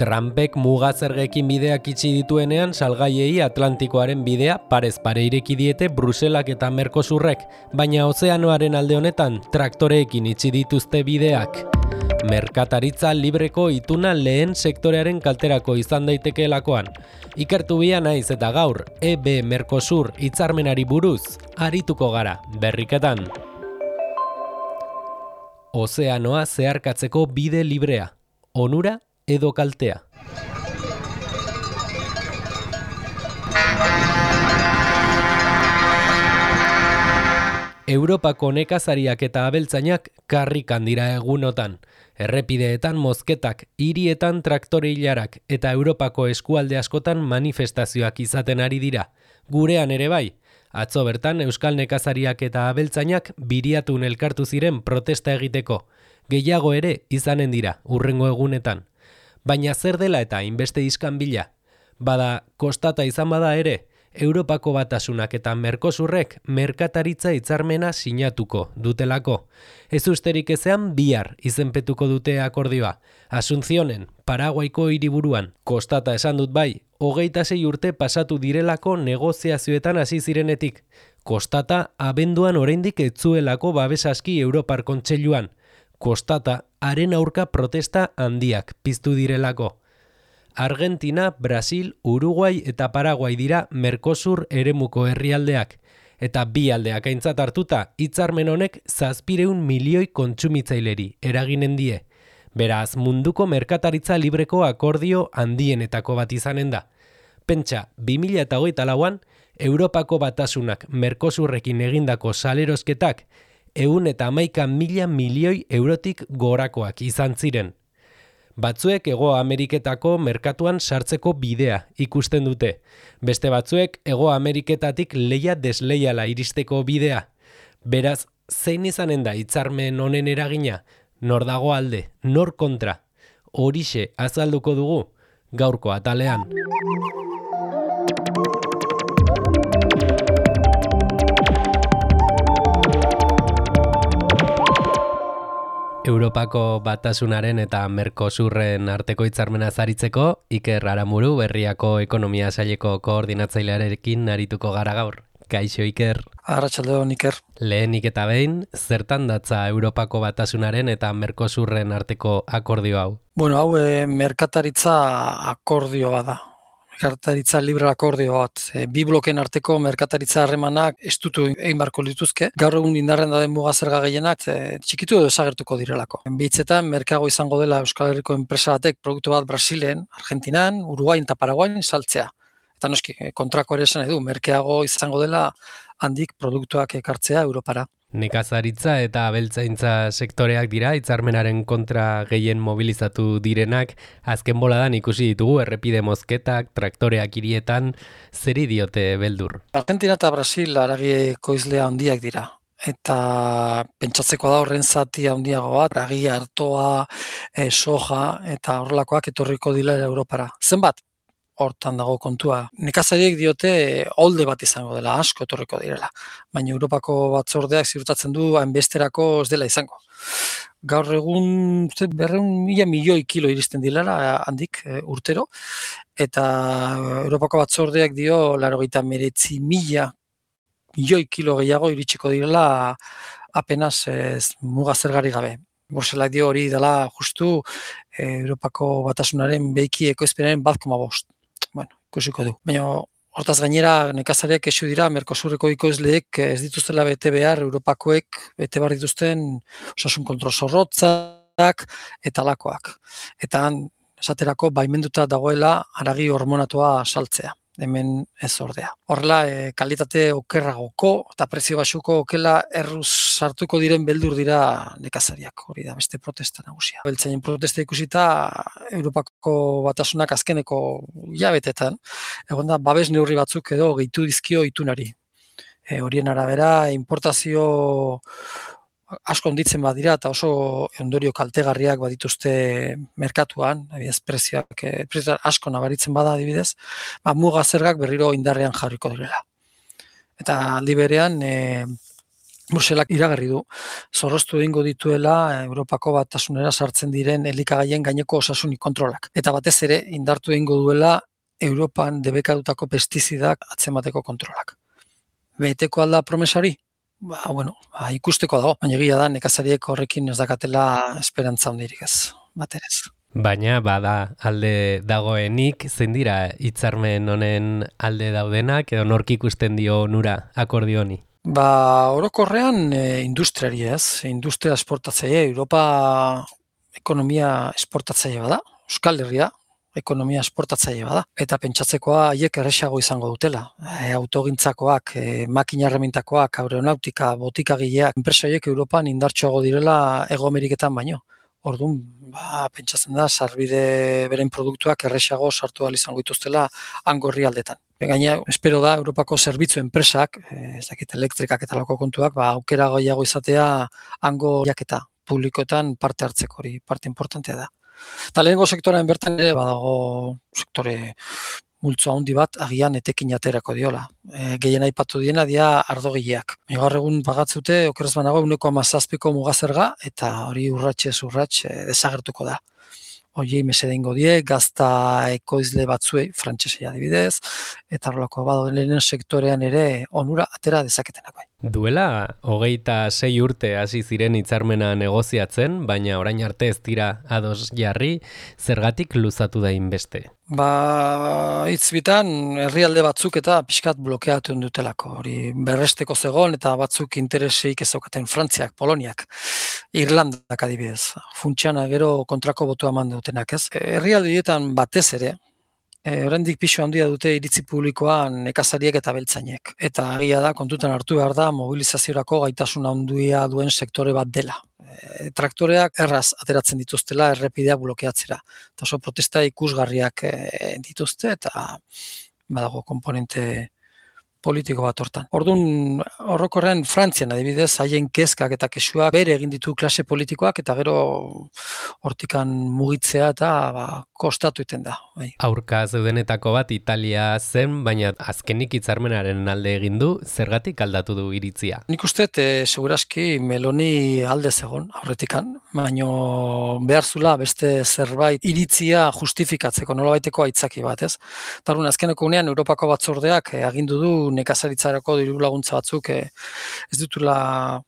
Trumpek muga zergekin bideak itxi dituenean salgaiei Atlantikoaren bidea parez pare ireki diete Bruselak eta Mercosurrek, baina ozeanoaren alde honetan traktoreekin itxi dituzte bideak. Merkataritza libreko ituna lehen sektorearen kalterako izan daitekeelakoan. Ikertu bia naiz eta gaur, EB Mercosur hitzarmenari buruz, arituko gara, berriketan. Ozeanoa zeharkatzeko bide librea, onura edo kaltea. Europako nekazariak eta abeltzainak karrikan dira egunotan. Errepideetan mozketak, hirietan traktore ilarak eta Europako eskualde askotan manifestazioak izaten ari dira. Gurean ere bai. Atzo bertan euskal nekazariak eta abeltzainak Biriatun elkartu ziren protesta egiteko. Gehiago ere izanen dira hurrengo egunetan. Baina zer dela eta hainbeste iskanbila? Bada, kostata izan bada ere, Europako Batasunak eta Mercosurrek merkataritza hitzarmena sinatuko dutelako. Ez usterik ezean bihar izenpetuko dute akordioa. Asuncionen, Paraguaiko hiriburuan. Kostata esan dut bai, 26 urte pasatu direlako negoziazioetan hasi zirenetik. Kostata abenduan oraindik ez zuelako babes aski Europar Kontseiluan. Kostata haren aurka protesta handiak piztu direlako. Argentina, Brasil, Uruguai eta Paraguai dira Mercosur eremuko herrialdeak. Eta bi aldeak aintzat hartuta, hitzarmen honek 700 milioi kontsumitzaileri eraginen die. Beraz, munduko merkataritza libreko akordio handienetako bat izanen da. Pentsa, 2024an, Europako Batasunak Mercosurrekin egindako salerosketak 111.000 milioi eurotik gorakoak izan ziren. Batzuek Hego Ameriketako merkatuan sartzeko bidea ikusten dute. Beste batzuek Hego Ameriketatik leia desleiala iristeko bidea. Beraz, zein izanen da hitzarmen honen eragina? Nor dago alde, nor kontra? Horixe azalduko dugu gaurko atalean. Europako Batasunaren eta Mercosurren arteko hitzarmena zaritzeko, Iker Aramuru Berriako Ekonomia Saileko koordinatzailearekin arituko gara gaur. Kaixo Iker. Arratsaldeon Iker. Lehenik eta behin, zertan datza Europako Batasunaren eta Mercosurren arteko akordio hau? Bueno, hau merkataritza akordioa da. Merkataritza libre akordio bat. Bi bloken arteko merkataritza harremanak estutu egin barko lituzke. Gaur egun indarren dauden muga zerga gehienak txikitu edo desagertuko direlako. Behitzetan, merkeago izango dela Euskal Herriko enpresa batek produktu bat Brasilen, Argentinan, Uruguain eta Paraguain saltzea. Eta noski, kontrako ere esan edu, merkeago izango dela handik produktuak ekartzea Europara. Nekazaritza eta abeltzaintza sektoreak dira, hitzarmenaren kontra gehien mobilizatu direnak, azken boladan ikusi ditugu errepide mozketak, traktoreak hirietan, zeri diote beldur? Argentina eta Brasil haragi ekoizlea handiak dira. Eta pentsatzeko da horren zati handiago bat, haragi, artoa, soja eta horrelakoak etorriko dira Europara. Zenbat? Hortan dago kontua. Nekazariek diote holde bat izango dela, asko etorriko direla. Baina Europako batzordeak ziurtatzen du hainbesterako ez dela izango. Gaur egun 200.000 milioi kilo iristen direla handik urtero. Eta Europako batzordeak dio 89.000 milioi kilo gehiago iritsiko direla apenas muga zergari gabe. Bruselak dio hori dela justu Europako Batasunaren behiki ekoizpenaren 1,5. Bueno, ikusiko du. Baina hortaz gainera nekazariak kexu dira Mercosurreko ekoizleek ez dituztela bete behar Europakoek bete behar dituzten osasun kontrol zorrotzak eta lakoak. Eta esaterako baimenduta dagoela haragi hormonatua saltzea. Hemen ez ordea. Horrela, kalitate okerragoko eta prezio baxuko okela erruz sartuko diren beldur dira nekazariak. Hori da beste protesta nagusia. Beltzainen protesta ikusita Europako Batasunak azkeneko hilabetetan egon da babes neurri batzuk edo gehitu dizkio itunari. Horien arabera importazio asko onditzen badira eta oso ondorio kaltegarriak badituzte merkatuan, adibidez prezioak asko nabaritzen bada adibidez, muga zergak berriro indarrean jarriko direla. Eta aldi berean Bruselak iragarri du, zorroztu egingo dituela Europako Batasunera sartzen diren elikagaien gaineko osasunik kontrolak. Eta batez ere, indartu egingo duela Europan debekatutako pestizidak atzemateko kontrolak. Beteko alda promesari? Ikusteko dago, baina egia da nekazariek horrekin ez dakatela esperantza handirik ez, baterez. Baina bada alde dagoenik, zein dira hitzarmen honen alde daudenak edo nork ikusten dio onura akordio honi? Orokorrean industriari ez, industria esportatzaile, Europa ekonomia esportatzaile bada, Euskal Herria ekonomia esportatzaile bada, eta pentsatzekoa haiek erresago izango dutela. Autogintzakoak, makina erremintakoak, aeronautika, botikagileak, enpresa horiek Europan indartsuago direla Hego Ameriketan baino. Orduan, pentsatzen da, sarbide beren produktuak erresago sartu ahal izango dituztela hango herrialdetan. Gaina, espero da, Europako zerbitzu enpresak, elektrikak eta lako kontuak, aukera gehiago izatea hango jaketa publikoetan parte hartzeko hori, parte importantea da. Eta lehenengo sektorean bertan ere, badago sektore multzo handi bat, agian etekin aterako diola. Gehien aipatu diena dia ardogileak. Gaur egun pagatzute, okerez banago, 1,7ko mugazerga, eta hori urratxez desagertuko da. Horiei mesede ingo die, gazta ekoizle batzuei, frantsesei adibidez, eta horrelako bado lehenen sektorean ere onura atera dezaketenak bai. Duela, 26 urte hasi ziren hitzarmena negoziatzen, baina orain arte ez dira ados jarri, zergatik luzatu da inbeste? Hitz bitan, herrialde batzuk eta pixkat blokeatu dutelako. Hori berresteko zegoen eta batzuk intereseik ezaukaten Frantziak, Poloniak, Irlandak adibidez. Funtsiana gero kontrako botua eman dutenak, ez? Herrialde horietan batez ere, oraindik pisu handia dute iritzi publikoan nekazariek eta beltzainek. Eta agia da, kontutan hartu behar da, mobilizaziorako gaitasun handia duen sektore bat dela. Traktoreak erraz ateratzen dituztela errepideak blokeatzera. Eta oso protesta ikusgarriak dituzte eta badago komponente politiko bat hortan. Orduan, horrokorrean Frantzian adibidez, haien kezkak eta kexuak bere egin ditu klase politikoak eta gero hortikan mugitzea eta kostatu iten da. Bai. Aurka zeudenetako bat Italia zen, baina azkenik hitzarmenaren alde egin du, zergatik aldatu du iritzia? Nik uste, seguraski Meloni alde zegon aurretikan, baina behar zula beste zerbait iritzia justifikatzeko, nolabaiteko aitzaki bat, ez? Tarun, azkeneko unean Europako batzordeak agindu du nekazaritzarako diru laguntza batzuk ez ditula,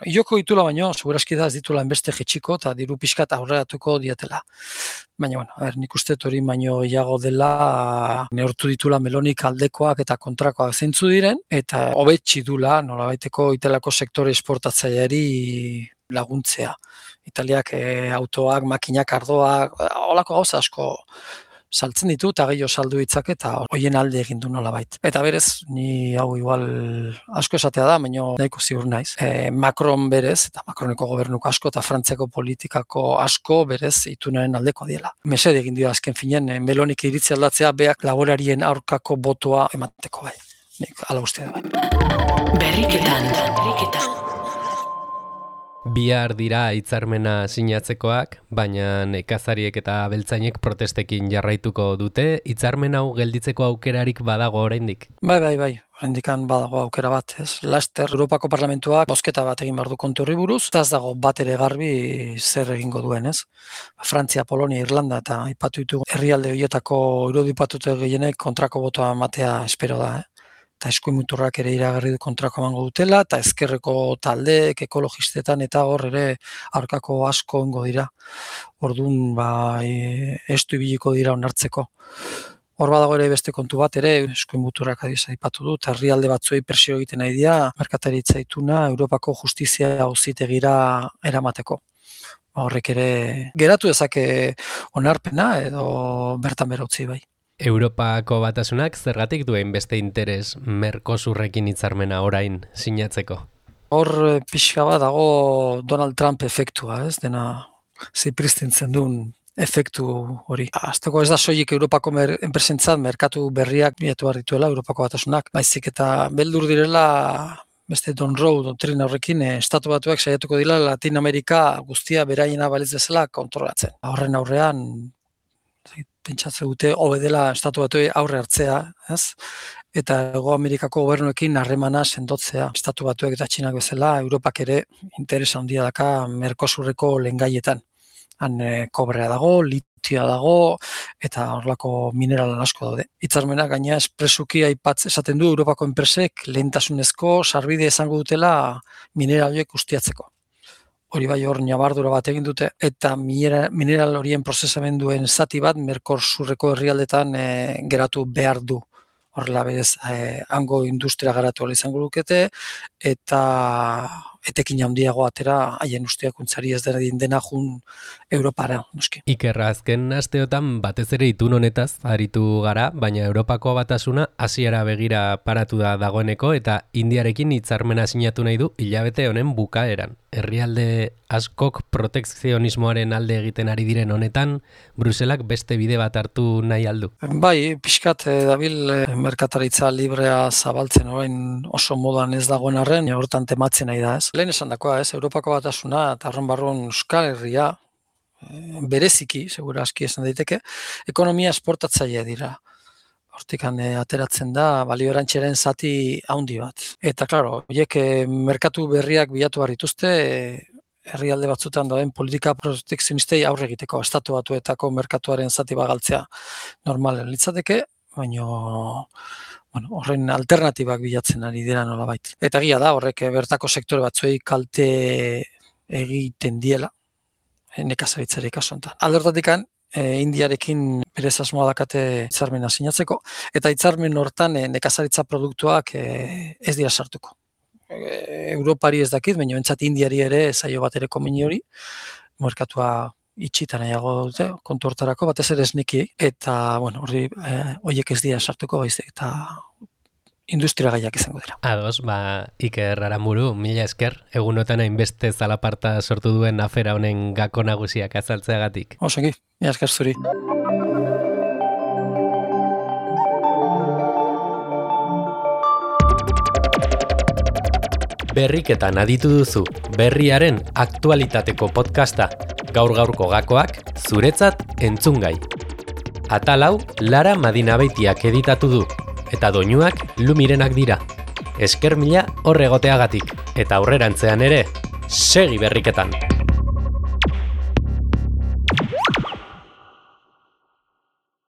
iloko ditula baino, seguraski da ez ditula enbeste jetxiko eta diru pixkat aurreratuko dietela. Baina, nik uste hori baino gehiago dela neurtu ditula Melonik aldekoak eta kontrakoak zeintzu diren, eta hobetsi dula nolabaiteko itelako sektore esportatzaileari laguntzea. Italiak autoak, makinak, ardoak, holako gauza asko saltzen ditu eta gehiago saldu ditzak eta hoien alde egin du nolabait. Eta berez, ni hau igual asko esatea da, baina nahiko ziur naiz. Macron berez, eta Macroneko gobernuko asko eta Frantziako politikako asko berez itunaren aldeko diela. Mesede egin dio azken finean, Melonik iritzi aldatzea beak laborarien aurkako botoa emateko bai. Nik ala uste da bai. Berriketan. Bihar dira hitzarmena sinatzekoak, baina nekazariek eta beltzainek protestekin jarraituko dute, hitzarmen hau gelditzeko aukerarik badago oraindik. Bai, oraindikan badago aukera bat, ez? Laster Europako Parlamentuak bozketa bat egin behar du kontu horri buruz, eta ez dago bat ere garbi zer egingo duen, ez? Frantzia, Polonia, Irlanda eta aipatu ditugu herrialde horietako irudipatute gehienek kontrako botoa ematea espero da, eta eskuimuturrak ere iragarri du kontrako emango dutela, eta ezkerreko taldeek, ekologistetan eta hor ere aurkako asko ongo dira. Orduan, estu ibiliko dira onartzeko. Hor badago ere beste kontu bat ere, eskuimuturrak aipatu du, eta herrialde batzuei presio egiten nahi dira, merkataritza ituna Europako justizia auzitegira eramateko. Horrek ere geratu dezake onarpena edo bertan bera utzi bai. Europako Batasunak zergatik duen beste interes Mercosurrekin hitzarmena orain sinatzeko? Hor pixka bat dago Donald Trump efektua, ez? Dena zipristintzen duen efektu hori. Azteko ez da soilik Europako enpresentzat merkatu berriak bilatu behar dituela Europako Batasunak. Baizik eta beldur direla beste Don Rowe doktrina horrekin estatu batuak saiatuko dira Latin Amerika guztia beraiena balitz bezala kontrolatzen. Horren aurrean pentsatzen dute hobe dela estatu batuei aurre hartzea, ez? eta Hego Amerikako gobernuekin harremana sendotzea. Estatu Batuek eta Txinak bezala, Europak ere interesa handia daka Mercosurreko lehengaietan. Han kobrea dago, litioa dago, eta horlako mineral asko daude. Hitzarmenak gaina espresuki esaten du Europako enpresek lehentasunezko sarbide izango dutela mineral horiek ustiatzeko. Hori bai hor nabardura bat egin dute, eta mineral horien prozesamenduen zati bat Mercosurreko herrialdetan geratu behar du. Horrela berez, hango industria garatu izango lukete, eta etekin handiago atera haien ustiakuntzari ez dena jun Europara, noski. Ikerra, azken asteotan batez ere itun honetaz aritu gara, baina Europako Batasuna hasiera begira paratu da dagoeneko eta Indiarekin hitzarmena sinatu nahi du hilabete honen bukaeran. Herrialde askok protekzionismoaren alde egiten ari diren honetan, Bruselak beste bide bat hartu nahi aldu. Bai, pixkat dabil merkataritza librea zabaltzen orain oso modan ez dagoen arren, hortan tematzen nahi da, ez? Lehen esan dakoa, ez? Europako Batasuna eta arron Euskal Herria bereziki, segura aski esan daiteke, ekonomia esportatzailea dira. Hortikan ateratzen da balio erantziaren zati handi bat. Eta, klaro, horiek merkatu berriak bilatu behar dituzte, herrialde batzutan dauden politika protekzionistei aurre egiteko, Estatu Batuetako merkatuaren zati bagaltzea normalen litzateke, baina horren alternatibak bilatzen ari dira nolabait. Eta egia da, horrek bertako sektore batzuei kalte egiten diela, nekazaritzari kasu honetan. Alde horretatik, Indiarekin berez asmoa dakate hitzarmena sinatzeko, eta hitzarmen hortan nekazaritza produktuak ez dira sartuko. Europari ez dakit, baina bentsat Indiari ere zaio bat ere komeni hori, merkatua itxita nahiago dute, kontu hortarako, batez ere esneki, eta, horiek ez dira sartuko, baizik, eta industria gaiak izango dira. Ados, Iker Aramuru, mila esker, egunotan hainbeste zalaparta sortu duen afera honen gako nagusiak azaltzeagatik. Osongi, mila esker zuri. Berriketan aditu duzu, berriaren aktualitateko podcasta, gaur-gaurko gakoak, zuretzat entzungai. Atal hau, Lara Madinabeitiak editatu du, eta doinuak Lumirenak dira. Esker mila hor egoteagatik, eta aurrerantzean ere, segi berriketan!